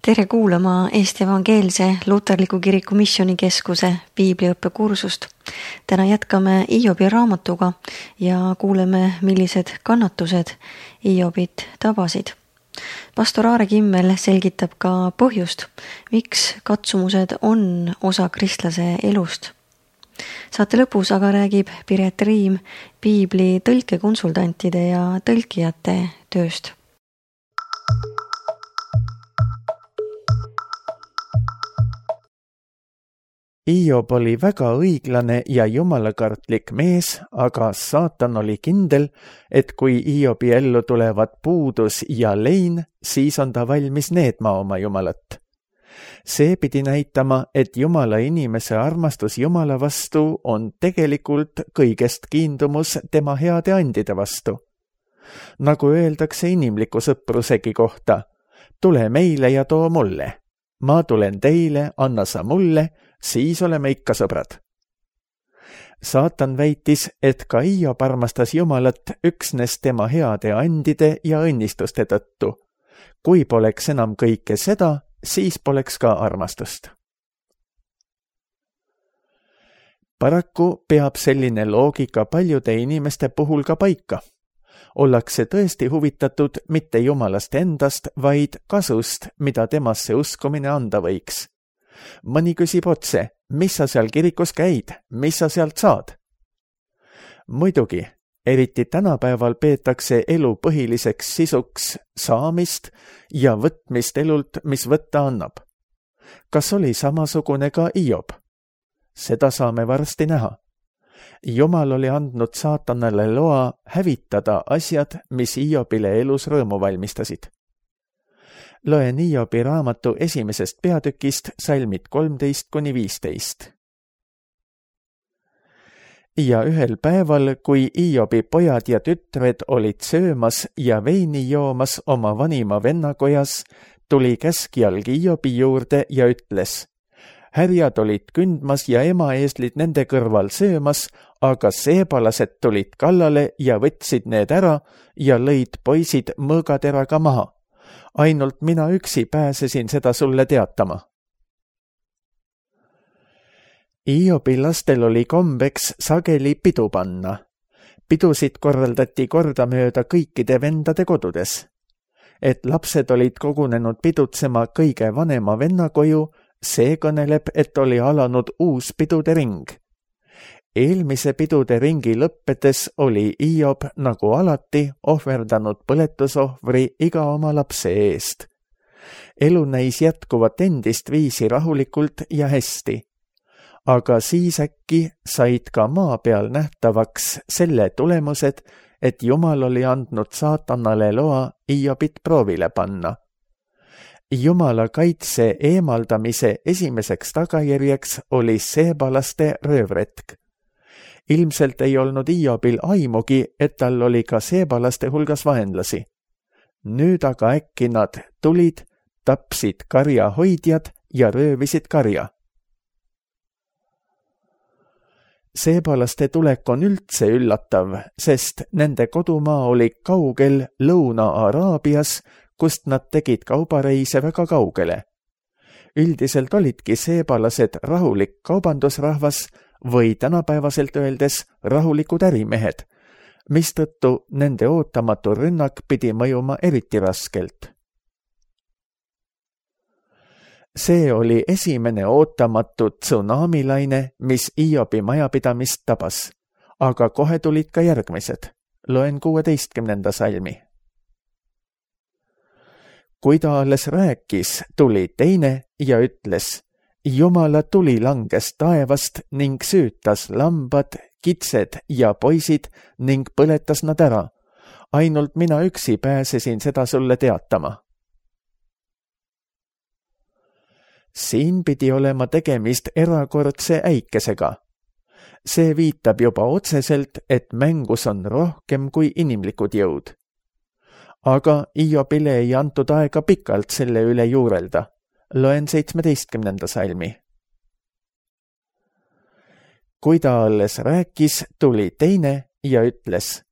Tere kuulama Eesti Evangeelse Luterliku Kiriku Missioonikeskuse piibliõppekursust. Täna jätkame Hiobi raamatuga ja kuuleme, millised kannatused Hiobit tabasid. Pastor Aare Kimmel selgitab ka põhjust, miks katsumused on osa kristlase elust. Saate lõpus aga räägib Piret Riim piibli tõlkekonsultantide ja tõlkijate tööst. Hiob oli väga õiglane ja jumalakartlik mees, aga saatan oli kindel, et kui Hiobi ellu tulevad puudus ja lein, siis on ta valmis needma oma jumalat. See pidi näitama, et jumala inimese armastus jumala vastu on tegelikult kõigest kiindumus tema heade andide vastu. Nagu öeldakse inimliku sõprusegi kohta, tule meile ja too mulle. Ma tulen teile, anna sa mulle, siis oleme ikka sõbrad. Saatan väitis, et ka Hiob armastas Jumalat üksnes tema heade andide ja õnnistuste tõttu. Kui poleks enam kõike seda, siis poleks ka armastust. Paraku peab selline loogika paljude inimeste puhul ka paika. Ollakse tõesti huvitatud mitte Jumalast endast, vaid kasust, mida temasse uskumine anda võiks. Mõni küsib otse, mis sa seal kirikus käid, mis sa sealt saad? Muidugi, eriti tänapäeval peetakse elu põhiliseks sisuks saamist ja võtmist elult, mis võtta annab. Kas oli samasugune ka Hiob? Seda saame varsti näha. Jumal oli andnud saatanale loa hävitada asjad, mis Hiobile elus rõõmu valmistasid. Loen Hiobi raamatu esimesest peatükist salmid 13-15. Ja ühel päeval, kui Hiobi pojad ja tütred olid söömas ja veini joomas oma vanima vennakojas, tuli käskjalg Hiobi juurde ja ütles: härjad olid kündmas ja emaeeslid nende kõrval söömas, aga seebalased tulid kallale ja võtsid need ära ja lõid poisid mõõgateraga maha. Ainult mina üksi pääsesin seda sulle teatama. Hiobi lastel oli kombeks sageli pidu panna. Pidusid korraldati kordamööda kõikide vendade kodudes. Et lapsed olid kogunenud pidutsema kõige vanema venna koju, see kõneleb, et oli alanud uus pidude ring. Eelmise pidude ringi lõppedes oli Hiob nagu alati ohverdanud põletusohvri iga oma lapse eest. Elu näis jätkuvat endist viisi rahulikult ja hästi. Aga siis äkki said ka maa peal nähtavaks selle tulemused, et Jumal oli andnud saatanale loa Hiobit proovile panna. Jumala kaitse eemaldamise esimeseks tagajärjeks oli seebalaste röövretk. Ilmselt ei olnud Hiobil aimugi, et tal oli ka seebalaste hulgas vaenlasi. Nüüd aga äkki nad tulid, tapsid karja hoidjad ja röövisid karja. Seebalaste tulek on üldse üllatav, sest nende kodumaa oli kaugel Lõuna-Araabias, kust nad tegid kaubareise väga kaugele. Üldiselt olidki seebalased rahulik kaubandusrahvas või tänapäevaselt öeldes rahulikud ärimehed, mistõttu nende ootamatu rünnak pidi mõjuma eriti raskelt. See oli esimene ootamatu tsunamilaine, mis Hiobi majapidamist tabas, aga kohe tulid ka järgmised. Loen 16. salmi. Kui ta alles rääkis, tuli teine ja ütles: Jumala tuli langes taevast ning süütas lambad, kitsed ja poisid ning põletas nad ära. Ainult mina üksi pääsesin seda sulle teatama. Siin pidi olema tegemist erakordse äikesega. See viitab juba otseselt, et mängus on rohkem kui inimlikud jõud. Aga Hiobile ei antud aega pikalt selle üle juurelda. Loen 17. salmi. Kui ta alles rääkis, tuli teine ja ütles: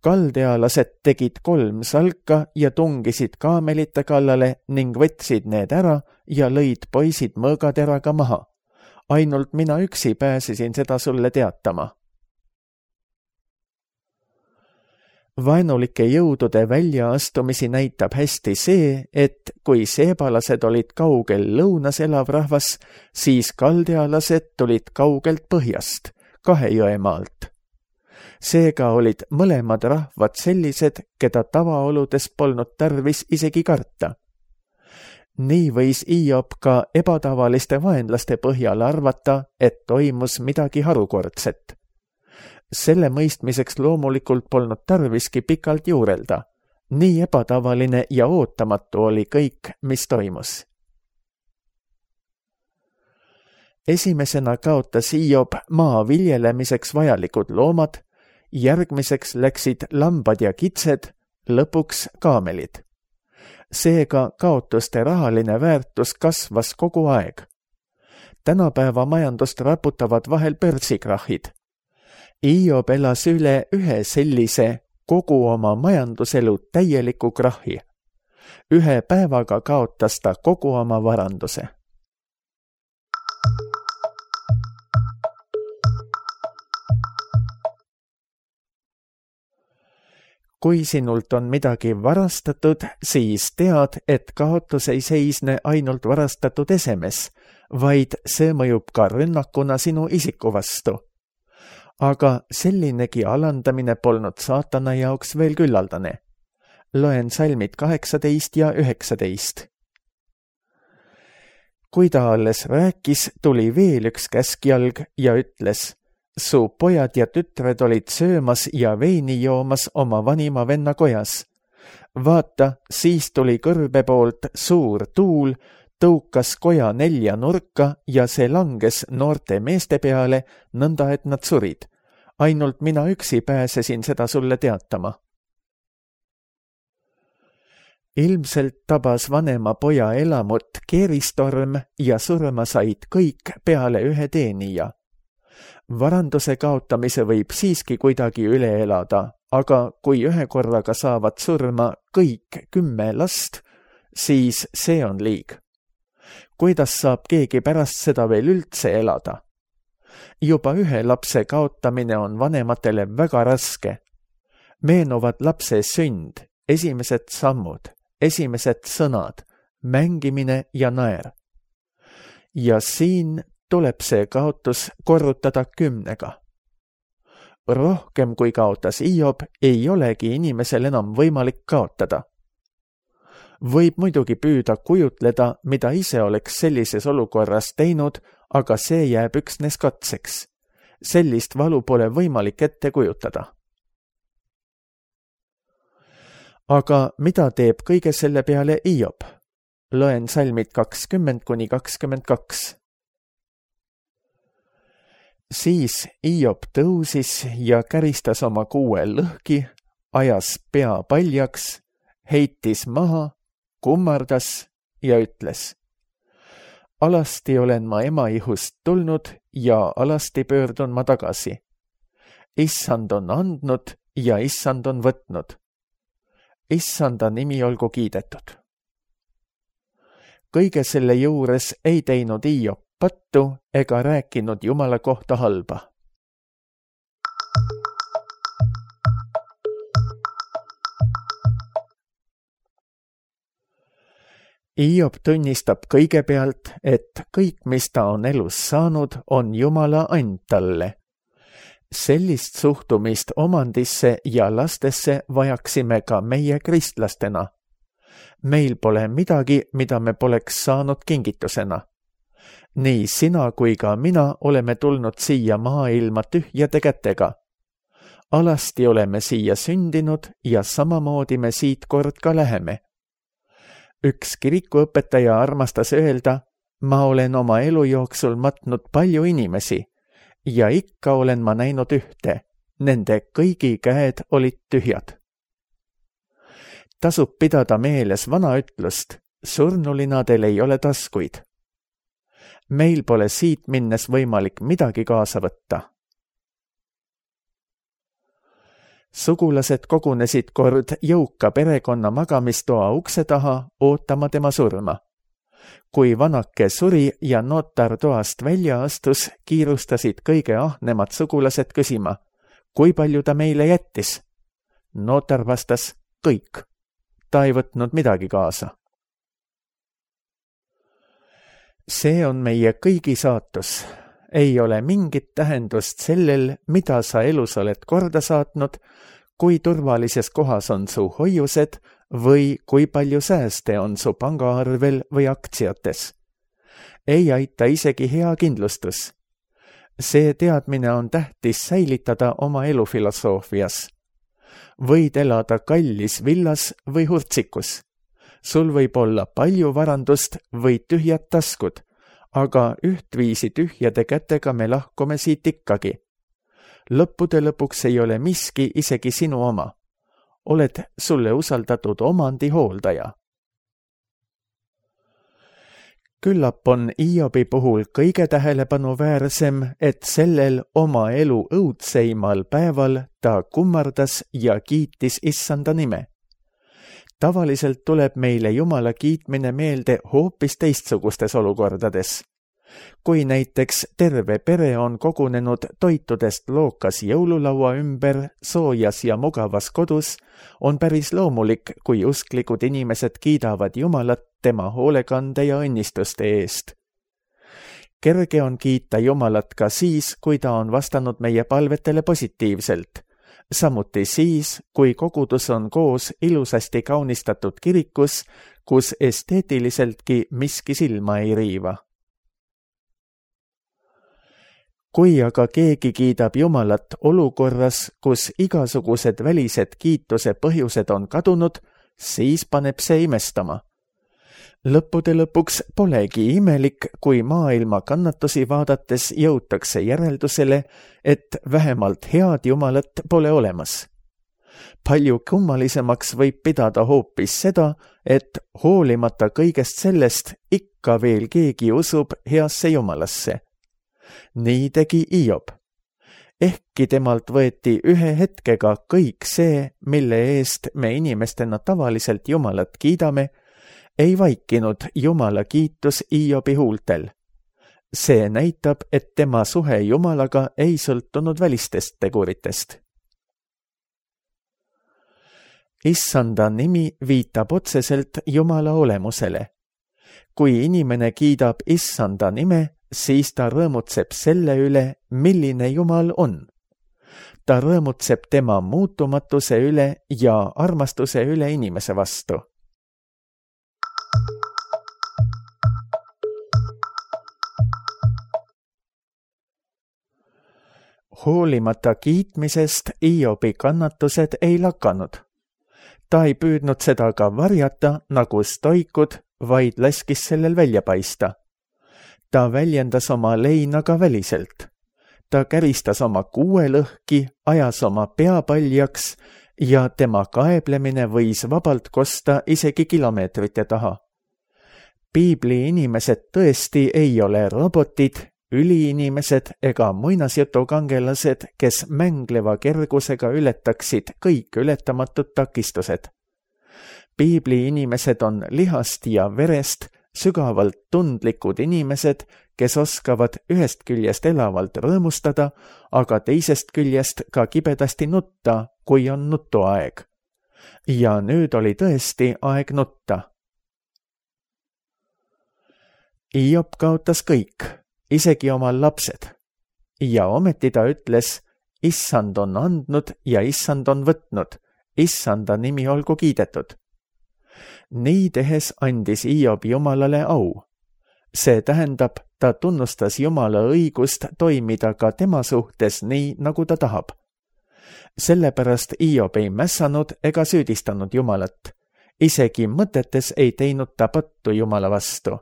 kaldealased tegid 3 salka ja tungisid kaamelite kallale ning võtsid need ära ja lõid poisid mõõgateraga maha. Ainult mina üksi pääsesin seda sulle teatama. Vaenulike jõudude väljaastumisi näitab hästi see, et kui seebalased olid kaugel lõunas elav rahvas, siis kaldealased tulid kaugelt põhjast, 2 jõe maalt. Seega olid mõlemad rahvad sellised, keda tavaoludes polnud tarvis isegi karta. Nii võis Hiob ka ebatavaliste vaenlaste põhjal arvata, et toimus midagi harukordset. Selle mõistmiseks loomulikult polnud tarviski pikalt juurelda. Nii ebatavaline ja ootamatu oli kõik, mis toimus. Esimesena kaotas Hiob maa viljelemiseks vajalikud loomad, järgmiseks läksid lambad ja kitsed, lõpuks kaamelid. Seega kaotuste rahaline väärtus kasvas kogu aeg. Tänapäeva majandust raputavad vahel börsikrahhid. Hiob elas üle ühe sellise kogu oma majanduselu täieliku krahhi. 1 päevaga kaotas ta kogu oma varanduse. Kui sinult on midagi varastatud, siis tead, et kaotus ei seisne ainult varastatud esemes, vaid see mõjub ka rünnakuna sinu isiku vastu. Aga sellinegi alandamine polnud saatana jaoks veel küllaldane. Loen salmid 18 ja 19. Kui ta alles rääkis, tuli veel üks käskjalg ja ütles: su pojad ja tütred olid söömas ja veini joomas oma vanima venna kojas. Vaata, siis tuli kõrbe poolt suur tuul, tõukas koja 4 nurka ja see langes noorte meeste peale, nõnda et nad surid. Ainult mina üksi pääsesin seda sulle teatama. Ilmselt tabas vanema poja elamut keeristorm ja surma said kõik peale 1 teenija. Varanduse kaotamise võib siiski kuidagi üle elada, aga kui 1 korraga saavad surma kõik 10 last, siis see on liig. Kuidas saab keegi pärast seda veel üldse elada? Juba 1 lapse kaotamine on vanematele väga raske. Meenuvad lapse sünd, esimesed sammud, esimesed sõnad, mängimine ja naer. Ja siin tuleb see kaotus korrutada 10-ga. Rohkem kui kaotas Hiob, ei olegi inimesel enam võimalik kaotada. Võib muidugi püüda kujutleda, mida ise oleks sellises olukorras teinud, aga see jääb üksnes katseks. Sellist valu pole võimalik ette kujutada. Aga mida teeb kõige selle peale Hiob? Loen salmid 20–22. Siis Hiob tõusis ja käristas oma kuue lõhki, ajas pea paljaks, heitis maha, kummardas ja ütles: alasti olen ma ema ihust tulnud ja alasti pöördun ma tagasi. Issand on andnud ja issand on võtnud. Issanda nimi olgu kiidetud. Kõige selle juures ei teinud Hiob pattu ega rääkinud Jumala kohta halba. Hiob tunnistab kõigepealt, et kõik, mis ta on elus saanud, on Jumala and talle. Sellist suhtumist omandisse ja lastesse vajaksime ka meie kristlastena. Meil pole midagi, mida me poleks saanud kingitusena. Nii sina kui ka mina oleme tulnud siia maailma tühjade kätega. Alasti oleme siia sündinud ja samamoodi me siit kord ka läheme. Üks kirikuõpetaja armastas öelda: ma olen oma elu jooksul matnud palju inimesi ja ikka olen ma näinud ühte, nende kõigi käed olid tühjad. Tasub pidada meeles vana ütlust: surnulinadel ei ole taskuid. Meil pole siit minnes võimalik midagi kaasa võtta. Sugulased kogunesid kord jõuka perekonna magamistoa ukse taha ootama tema surma. Kui vanake suri ja notar toast välja astus, kiirustasid kõige ahnemad sugulased küsima, kui palju ta meile jättis. Notar vastas, kõik. Ta ei võtnud midagi kaasa. See on meie kõigi saatus. Ei ole mingit tähendust sellel, mida sa elus oled korda saatnud, kui turvalises kohas on su hoiused või kui palju sääste on su pangaarvel või aktsiates. Ei aita isegi hea kindlustus. See teadmine on tähtis säilitada oma elufilosoofias. Võid elada kallis villas või hurtsikus. Sul võib olla palju varandust või tühjad taskud, aga ühtviisi tühjade kätega me lahkume siit ikkagi. Lõppude lõpuks ei ole miski isegi sinu oma. Oled sulle usaldatud omandi hooldaja. Küllap on Hiobi puhul kõige tähelepanu-väärsem, et sellel oma elu õudseimal päeval ta kummardas ja kiitis Issanda nime. Tavaliselt tuleb meile Jumala kiitmine meelde hoopis teistsugustes olukordades. Kui näiteks terve pere on kogunenud toitudest lookas jõululaua ümber soojas ja mugavas kodus, on päris loomulik, kui usklikud inimesed kiidavad Jumalat tema hoolekande ja õnnistuste eest. Kerge on kiita Jumalat ka siis, kui ta on vastanud meie palvetele positiivselt. Samuti siis, kui kogudus on koos ilusasti kaunistatud kirikus, kus esteetiliseltki miski silma ei riiva. Kui aga keegi kiidab Jumalat olukorras, kus igasugused välised kiituse põhjused on kadunud, siis paneb see imestama. Lõppude lõpuks polegi imelik, kui maailma kannatusi vaadates jõutakse järeldusele, et vähemalt head Jumalat pole olemas. Palju kummalisemaks võib pidada hoopis seda, et hoolimata kõigest sellest ikka veel keegi usub heasse Jumalasse. Nii tegi Hiob. Ehkki temalt võeti ühe hetkega kõik see, mille eest me inimestena tavaliselt Jumalat kiidame, ei vaikinud Jumala kiitus Hiobi huultel. See näitab, et tema suhe Jumalaga ei sõltunud välistest teguritest. Issanda nimi viitab otseselt Jumala olemusele. Kui inimene kiidab Issanda nime, siis ta rõõmutseb selle üle, milline Jumal on. Ta rõõmutseb tema muutumatuse üle ja armastuse üle inimese vastu. Hoolimata kiitmisest Hiobi kannatused ei lakanud. Ta ei püüdnud seda ka varjata nagu stoikud, vaid laskis sellel välja paista. Ta väljendas oma leina ka väliselt. Ta käristas oma kuue lõhki, ajas oma pea paljaks ja tema kaeblemine võis vabalt kosta isegi kilomeetrite taha. Piibli inimesed tõesti ei ole robotid, üliinimesed ega muinasjutukangelased, kes mängleva kergusega ületaksid kõik ületamatud takistused. Piibli inimesed on lihast ja verest, sügavalt tundlikud inimesed, kes oskavad ühest küljest elavalt rõõmustada, aga teisest küljest ka kibedasti nutta, kui on nutuaeg. Ja nüüd oli tõesti aeg nutta. Hiob kaotas kõik, isegi oma lapsed. Ja ometi ta ütles, Issand on andnud ja Issand on võtnud, Issanda nimi olgu kiidetud. Nii tehes andis Hiob Jumalale au. See tähendab, ta tunnustas Jumala õigust toimida ka tema suhtes nii, nagu ta tahab. Sellepärast Hiob ei mässanud ega süüdistanud Jumalat. Isegi mõtetes ei teinud ta pattu Jumala vastu.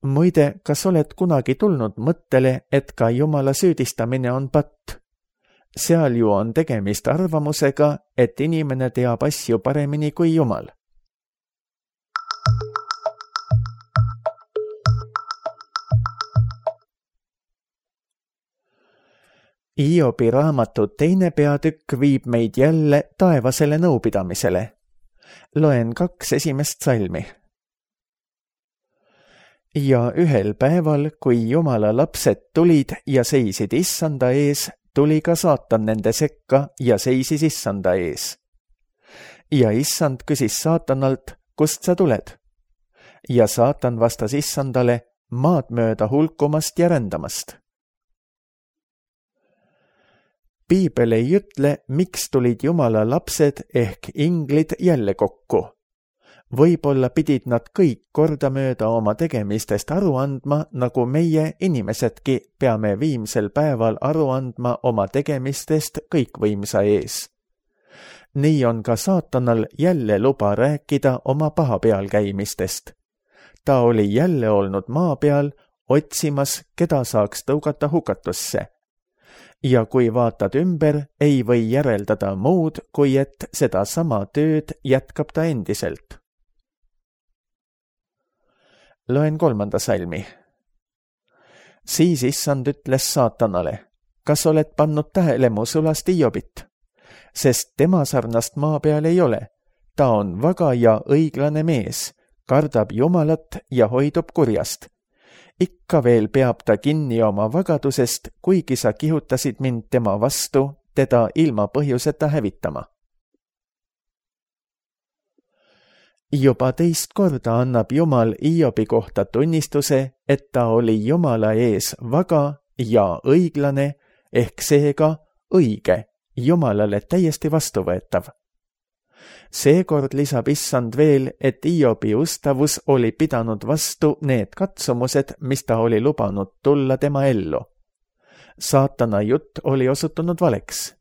Muide, kas oled kunagi tulnud mõttele, et ka Jumala süüdistamine on patt? Seal ju on tegemist arvamusega, et inimene teab asju paremini kui Jumal. Hiobi raamatu 2. peatükk viib meid jälle taevasele nõupidamisele. Loen 2 esimest salmi. Ja ühel päeval, kui Jumala lapsed tulid ja seisid issanda ees, tuli ka saatan nende sekka ja seisis issanda ees. Ja issand küsis saatanalt, kust sa tuled? Ja saatan vastas issandale, maad mööda hulkumast ja rändamast. Piibel ei ütle, miks tulid Jumala lapsed ehk inglid jälle kokku. Võib-olla pidid nad kõik kordamööda oma tegemistest aru andma, nagu meie inimesedki peame viimsel päeval aru andma oma tegemistest kõikvõimsa ees. Nii on ka saatanal jälle luba rääkida oma paha peal käimistest. Ta oli jälle olnud maa peal, otsimas, keda saaks tõugata hukatusse. Ja kui vaatad ümber, ei või järeldada muud, kui et seda sama tööd jätkab ta endiselt. Loen 3. salmi. Siis issand ütles saatanale, kas oled pannud tähele mu sulast Hiobit? Sest tema sarnast maa peal ei ole. Ta on vaga ja õiglane mees, kardab Jumalat ja hoidub kurjast. Ikka veel peab ta kinni oma vagadusest, kuigi sa kihutasid mind tema vastu, teda ilma põhjuseta hävitama. Juba 2. korda annab Jumal Hiobi kohta tunnistuse, et ta oli Jumala ees vaga ja õiglane, ehk seega õige, Jumalale täiesti vastuvõetav. Seekord lisab issand veel, et Hiobi ustavus oli pidanud vastu need katsumused, mis ta oli lubanud tulla tema ellu. Saatana jutt oli osutunud valeks.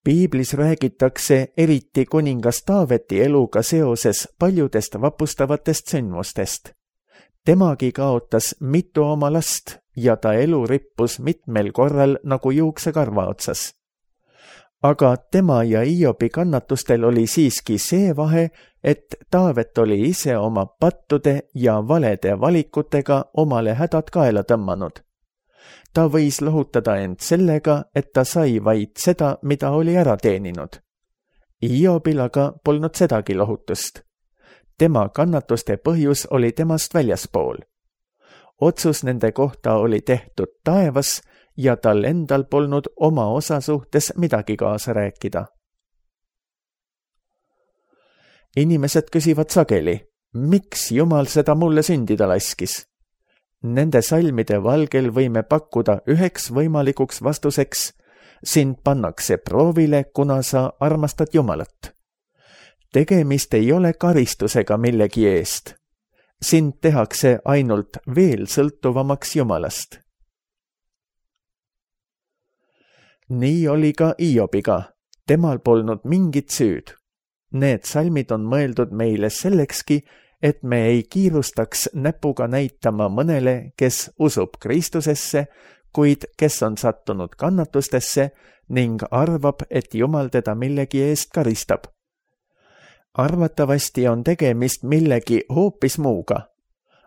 Piiblis räägitakse eriti kuningas Taaveti eluga seoses paljudest vapustavatest sündmustest. Temagi kaotas mitu oma last ja ta elu rippus mitmel korral nagu juuksekarva otsas. Aga tema ja Hiobi kannatustel oli siiski see vahe, et Taavet oli ise oma pattude ja valede valikutega omale hädad kaela tõmmanud. Ta võis lohutada end sellega, et ta sai vaid seda, mida oli ära teeninud. Hiobil aga polnud sedagi lohutust. Tema kannatuste põhjus oli temast väljaspool. Otsus nende kohta oli tehtud taevas ja tal endal polnud oma osa suhtes midagi kaasa rääkida. Inimesed küsivad sageli, miks Jumal seda mulle sündida laskis? Nende salmide valgel võime pakkuda üheks võimalikuks vastuseks, sind pannakse proovile, kuna sa armastad Jumalat. Tegemist ei ole karistusega millegi eest. Sind tehakse ainult veel sõltuvamaks Jumalast. Nii oli ka Hiobiga. Temal polnud mingit süüd. Need salmid on mõeldud meile sellekski, et me ei kiirustaks näpuga näitama mõnele, kes usub Kristusesse, kuid kes on sattunud kannatustesse ning arvab, et Jumal teda millegi eest karistab. Arvatavasti on tegemist millegi hoopis muuga.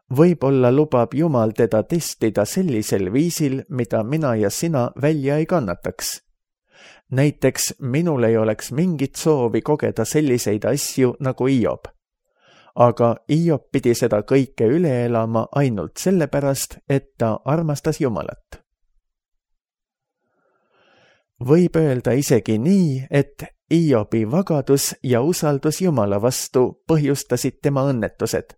Võib-olla lubab Jumal teda testida sellisel viisil, mida mina ja sina välja ei kannataks. Näiteks minul ei oleks mingit soovi kogeda selliseid asju nagu Hiob. Aga Hiob pidi seda kõike üle elama ainult sellepärast, et ta armastas Jumalat. Võib öelda isegi nii, et Hiobi vagadus ja usaldus Jumala vastu põhjustasid tema õnnetused.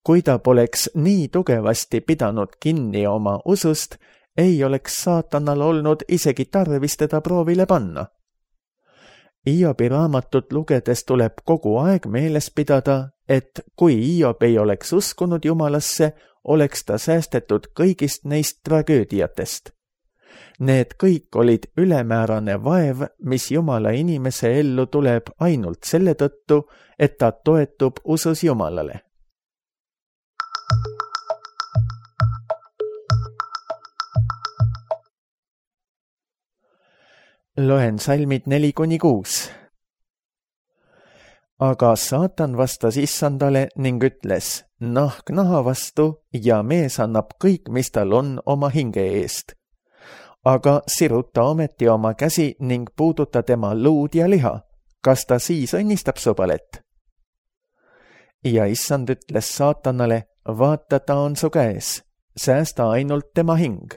Kui ta poleks nii tugevasti pidanud kinni oma usust, ei oleks saatanal olnud isegi tarvis teda proovile panna. Hiobi raamatut lugedes tuleb kogu aeg meeles pidada, et kui Hiob ei oleks uskunud Jumalasse, oleks ta säästetud kõigist neist tragöödiatest. Need kõik olid ülemäärane vaev, mis Jumala inimese ellu tuleb ainult selle tõttu, et ta toetub usus Jumalale. Loen salmid 4-6. Aga saatan vastas issandale ning ütles, nahk naha vastu ja mees annab kõik, mis tal on oma hinge eest. Aga siruta ometi oma käsi ning puuduta tema luud ja liha. Kas ta siis õnnistab sõbalet? Ja issand ütles saatanale, vaata, ta on su käes, säästa ainult tema hing.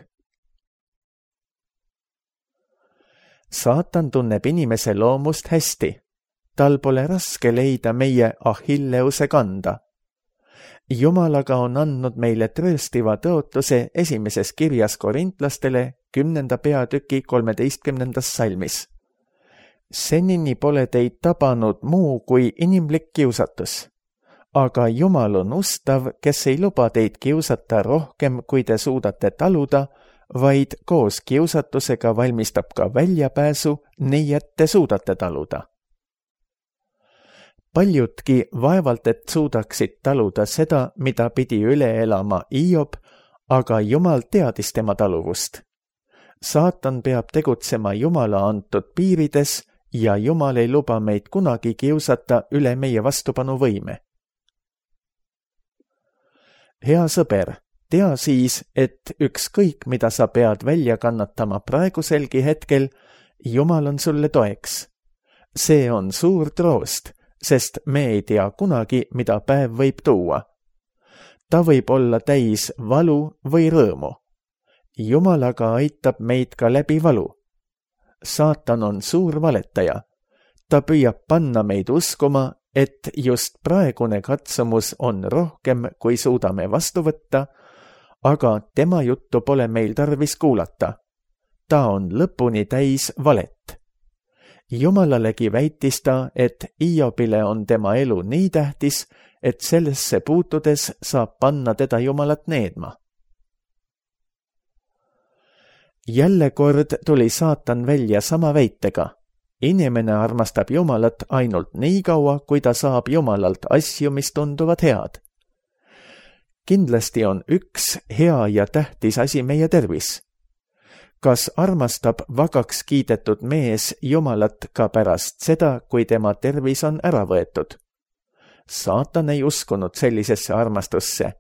Saatan tunneb inimese loomust hästi. Tal pole raske leida meie Achilleuse kanda. Jumalaga on andnud meile trööstiva tõotuse esimeses kirjas korintlastele 10. peatüki 13. salmis. Senini pole teid tabanud muu kui inimlik kiusatus. Aga Jumal on ustav, kes ei luba teid kiusata rohkem, kui te suudate taluda, vaid koos kiusatusega valmistab ka väljapääsu, nii et te suudate taluda. Paljudki vaevalt, et suudaksid taluda seda, mida pidi üle elama Hiob, aga Jumal teadis tema taluvust. Saatan peab tegutsema Jumala antud piirides ja Jumal ei luba meid kunagi kiusata üle meie vastupanuvõime. Hea sõber, tea siis, et ükskõik, mida sa pead välja kannatama praeguselgi hetkel, Jumal on sulle toeks. See on suur troost, sest me ei tea kunagi, mida päev võib tuua. Ta võib olla täis valu või rõõmu. Jumal aga aitab meid ka läbi valu. Saatan on suur valetaja. Ta püüab panna meid uskuma, et just praegune katsumus on rohkem, kui suudame vastu võtta, aga tema juttu pole meil tarvis kuulata. Ta on lõpuni täis valet. Jumalalegi väitis ta, et Hiobile on tema elu nii tähtis, et sellesse puutudes saab panna teda Jumalat needma. Jälle kord tuli saatan välja sama väitega. Inimene armastab Jumalat ainult nii kaua, kui ta saab Jumalalt asju, mis tunduvad head. Kindlasti on üks hea ja tähtis asi meie tervis. Kas armastab vagaks kiidetud mees Jumalat ka pärast seda, kui tema tervis on ära võetud? Saatan ei uskunud sellisesse armastusse.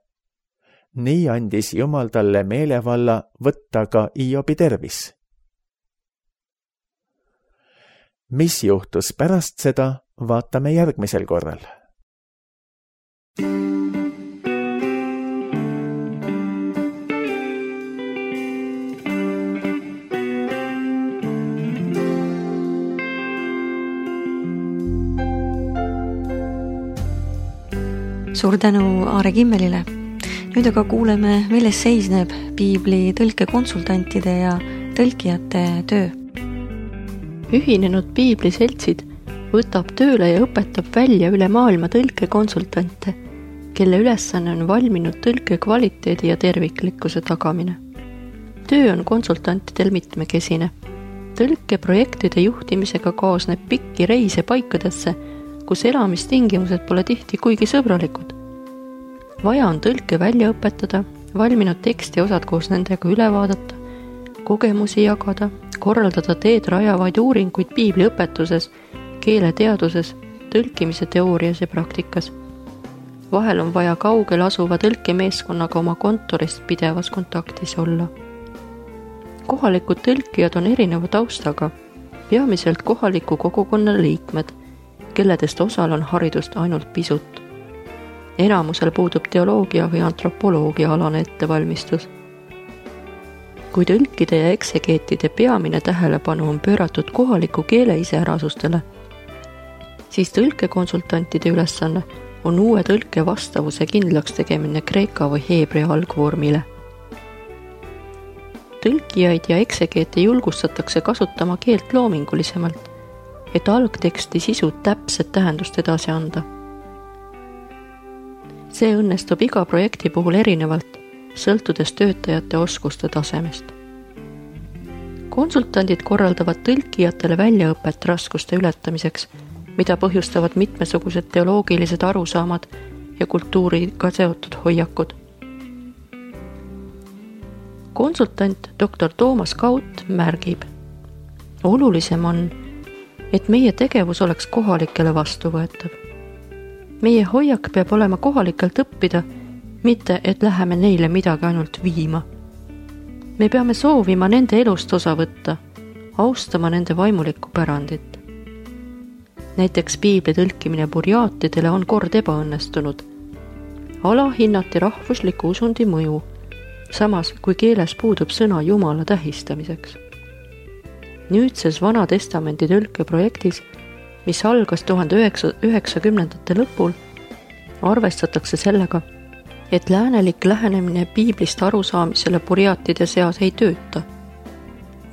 Nii andis Jumal talle meelevalla võtta ka Hiobi tervis. Mis juhtus pärast seda, vaatame järgmisel korral. Suur tänu Aare Kimmelile. Nüüd aga kuuleme, milles seisneb piibli tõlkekonsultantide ja tõlkijate töö. Ühinenud piibliseltsid võtab tööle ja õpetab välja üle maailma tõlkekonsultante, kelle ülesanne on valminud tõlke kvaliteedi ja terviklikkuse tagamine. Töö on konsultantidel mitmekesine. Tõlkeprojektide juhtimisega kaasneb pikki reise paikadesse, kus elamistingimused pole tihti kuigi sõbralikud. Vaja on tõlke välja õpetada, valminud teksti osad koos nendega üle vaadata, kogemusi jagada, korraldada teed rajavaid uuringuid piibliõpetuses, keeleteaduses, tõlkimise teoorias ja praktikas. Vahel on vaja kaugel asuva tõlkemeeskonnaga oma kontorist pidevas kontaktis olla. Kohalikud tõlkijad on erineva taustaga, peamiselt kohaliku kogukonna liikmed, kelledest osal on haridust ainult pisut. Enamusel puudub teoloogia või antropoloogia alane ettevalmistus. Kui tõlkide ja eksegeetide peamine tähelepanu on pööratud kohaliku keele iseärasustele, siis tõlkekonsultantide ülesanne on uue tõlke vastavuse kindlaks tegemine kreeka või heebrea algvormile. Tõlkijaid ja eksegeete julgustatakse kasutama keelt loomingulisemalt, et algteksti sisu täpset tähendust edasi anda. See õnnestub iga projekti puhul erinevalt, sõltudes töötajate oskuste tasemest. Konsultandid korraldavad tõlkijatele väljaõpet raskuste ületamiseks, mida põhjustavad mitmesugused teoloogilised arusaamad ja kultuuriga seotud hoiakud. Konsultant Dr. Toomas Kaut märgib, olulisem on, et meie tegevus oleks kohalikele vastuvõetav. meie hoiak peab olema kohalikelt õppida, mitte et läheme neile midagi ainult viima. Me peame soovima nende elust osa võtta, austama nende vaimulikku pärandit. Näiteks piibli tõlkimine burjaatidele on kord ebaõnnestunud. Alahinnati rahvusliku usundi mõju, samas kui keeles puudub sõna Jumala tähistamiseks. Nüüdses Vana Testamendi tõlkeprojektis, mis algas 1990. lõpul, arvestatakse sellega, et läänelik lähenemine piiblist arusaamisele burjaatide seas ei tööta.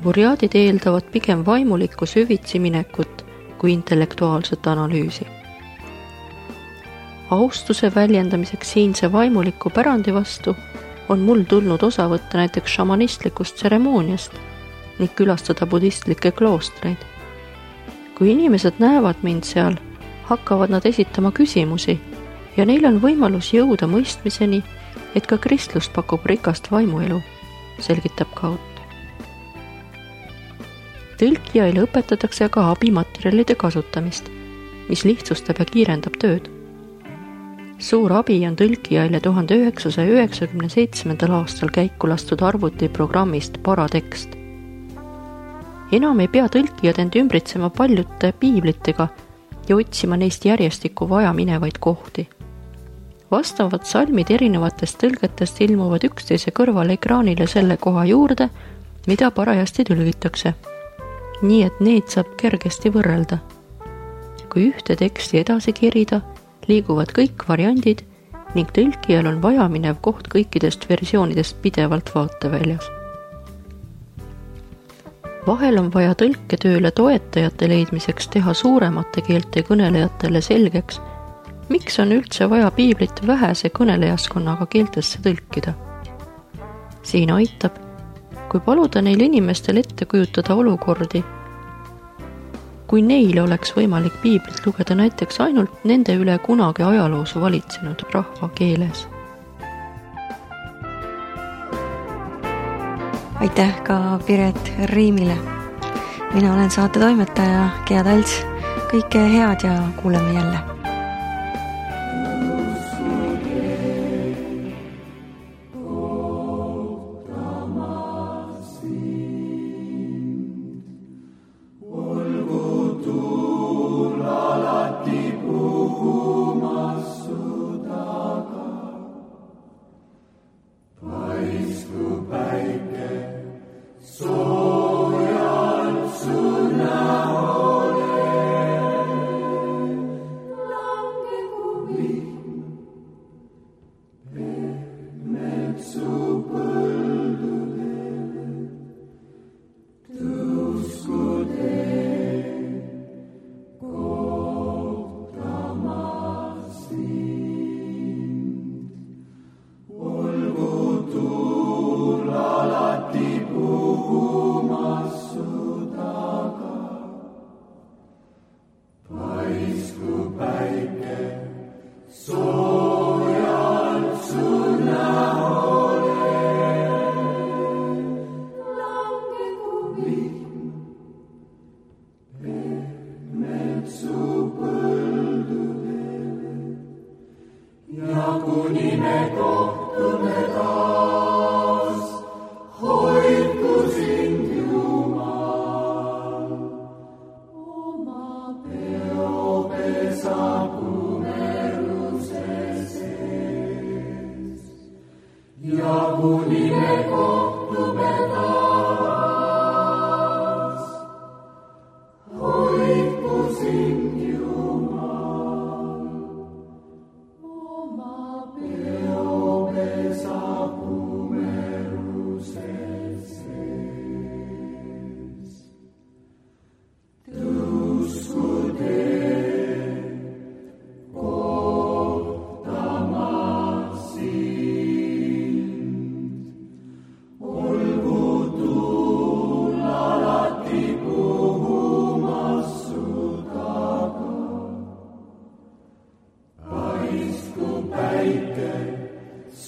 Burjaadid eeldavad pigem vaimulikku süvitsi minekut kui intellektuaalset analüüsi. Austuse väljendamiseks siinse vaimuliku pärandi vastu on mul tulnud osa võtta näiteks šamanistlikust tseremooniast ning külastada budistlikke kloostreid. Kui inimesed näevad mind seal, hakkavad nad esitama küsimusi ja neil on võimalus jõuda mõistmiseni, et ka kristlus pakub rikast vaimuelu, selgitab Kaut. Tõlkijaile õpetatakse ka abimaterjalide kasutamist, mis lihtsustab ja kiirendab tööd. Suur abi on tõlkijaile 1997. aastal käiku lastud arvutiprogrammist Paratekst. Enam ei pea tõlkijad end ümbritsema paljude piiblitega ja otsima neist järjestikku vaja minevaid kohti. Vastavad salmid erinevatest tõlgetest ilmuvad üksteise kõrval ekraanile selle koha juurde, mida parajasti tõlgitakse. Nii et neid saab kergesti võrrelda. Kui ühte teksti edasi kerida, liiguvad kõik variandid ning tõlkijal on vajaminev koht kõikidest versioonidest pidevalt vaateväljas. Vahel on vaja tõlketööle toetajate leidmiseks teha suuremate keelte kõnelejatele selgeks, miks on üldse vaja piiblit vähese kõnelejaskonnaga keeltesse tõlkida. Siin aitab, kui paluda neil inimestel ette kujutada olukordi, kui neil oleks võimalik piiblit lugeda näiteks ainult nende üle kunagi ajaloos valitsenud rahva keeles. Aitäh ka Piret Riimile. Mina olen saate toimetaja Gea Talts. Kõike head ja kuuleme jälle.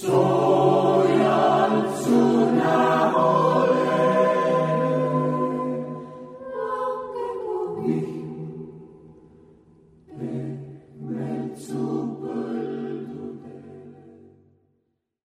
So